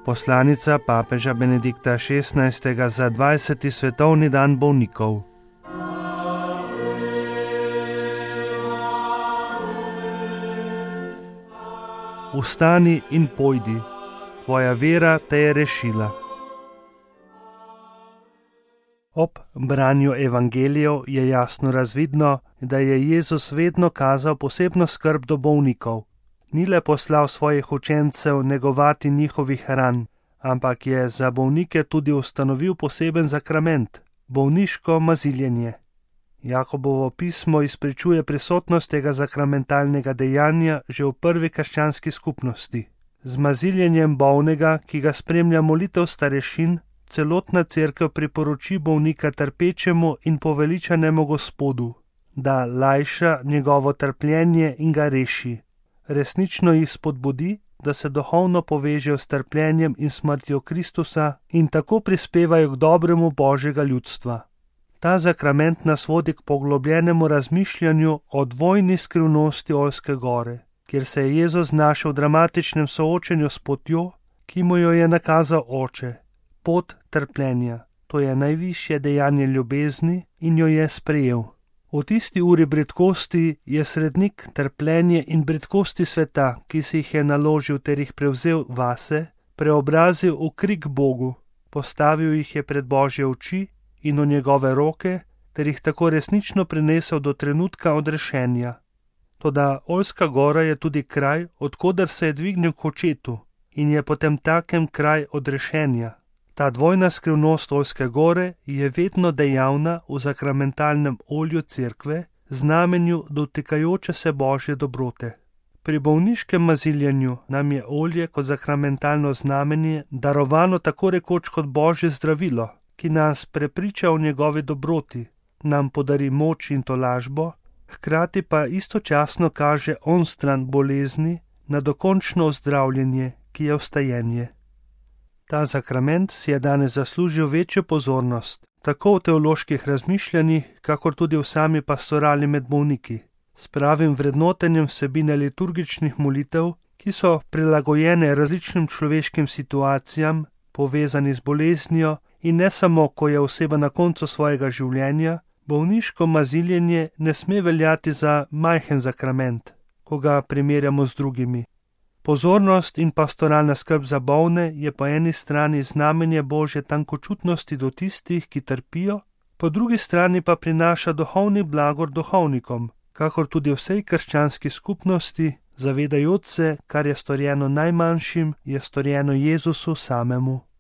Poslanica papeža Benedikta XVI. Za 20. svetovni dan bolnikov. Vstani in pojdi, tvoja vera te je rešila. Ob branju evangelijev je jasno razvidno, da je Jezus vedno kazal posebno skrb do bolnikov. Ni le poslal svojih učencev negovati njihovih ran, ampak je za bolnike tudi ustanovil poseben sakrament, bolniško maziljenje. Jakobovo pismo izpričuje prisotnost tega sakramentalnega dejanja že v prvi krščanski skupnosti. Z maziljenjem bolnega, ki ga spremlja molitev starešin, celotna cerkev priporoči bolnika trpečemu in poveličanemu Gospodu, da lajša njegovo trpljenje in ga reši. Resnično jih spodbudi, da se duhovno povežejo s trpljenjem in smrtjo Kristusa in tako prispevajo k dobremu Božjega ljudstva. Ta sakrament nas vodi k poglobljenemu razmišljanju o dvojni skrivnosti Oljske gore, kjer se je Jezus znašel v dramatičnem soočenju s potjo, ki mu jo je nakazal Oče, pot trpljenja. To je najvišje dejanje ljubezni in jo je sprejel. V tisti uri bridkosti je srednik trpljenje in bridkosti sveta, ki si jih je naložil ter jih prevzel vase, preobrazil v krik Bogu, postavil jih je pred Božje oči in v njegove roke, ter jih tako resnično prinesel do trenutka odrešenja. Toda Oljska gora je tudi kraj, odkoder se je dvignil k očetu in je potem takem kraj odrešenja. Ta dvojna skrivnost Oljske gore je vedno dejavna v sakramentalnem olju cerkve, znamenju dotikajoče se Božje dobrote. Pri bolniškem maziljenju nam je olje kot sakramentalno znamenje darovano tako rekoč kot Božje zdravilo, ki nas prepriča o njegovi dobroti, nam podari moč in tolažbo, hkrati pa istočasno kaže onstran bolezni na dokončno ozdravljenje, ki je vstajenje. Ta sakrament si je danes zaslužil večjo pozornost, tako v teoloških razmišljanjih, kakor tudi v sami pastorali med bolniki, s pravim vrednotenjem vsebine liturgičnih molitev, ki so prilagojene različnim človeškim situacijam, povezani z boleznijo in ne samo, ko je oseba na koncu svojega življenja, bolniško maziljenje ne sme veljati za majhen sakrament, ko ga primerjamo z drugimi. Pozornost in pastoralna skrb za bolne je po eni strani znamenje Božje tankočutnosti do tistih, ki trpijo, po drugi strani pa prinaša duhovni blagor duhovnikom, kakor tudi vsej krščanski skupnosti, zavedajoč se, kar je storjeno najmanjšim, je storjeno Jezusu samemu.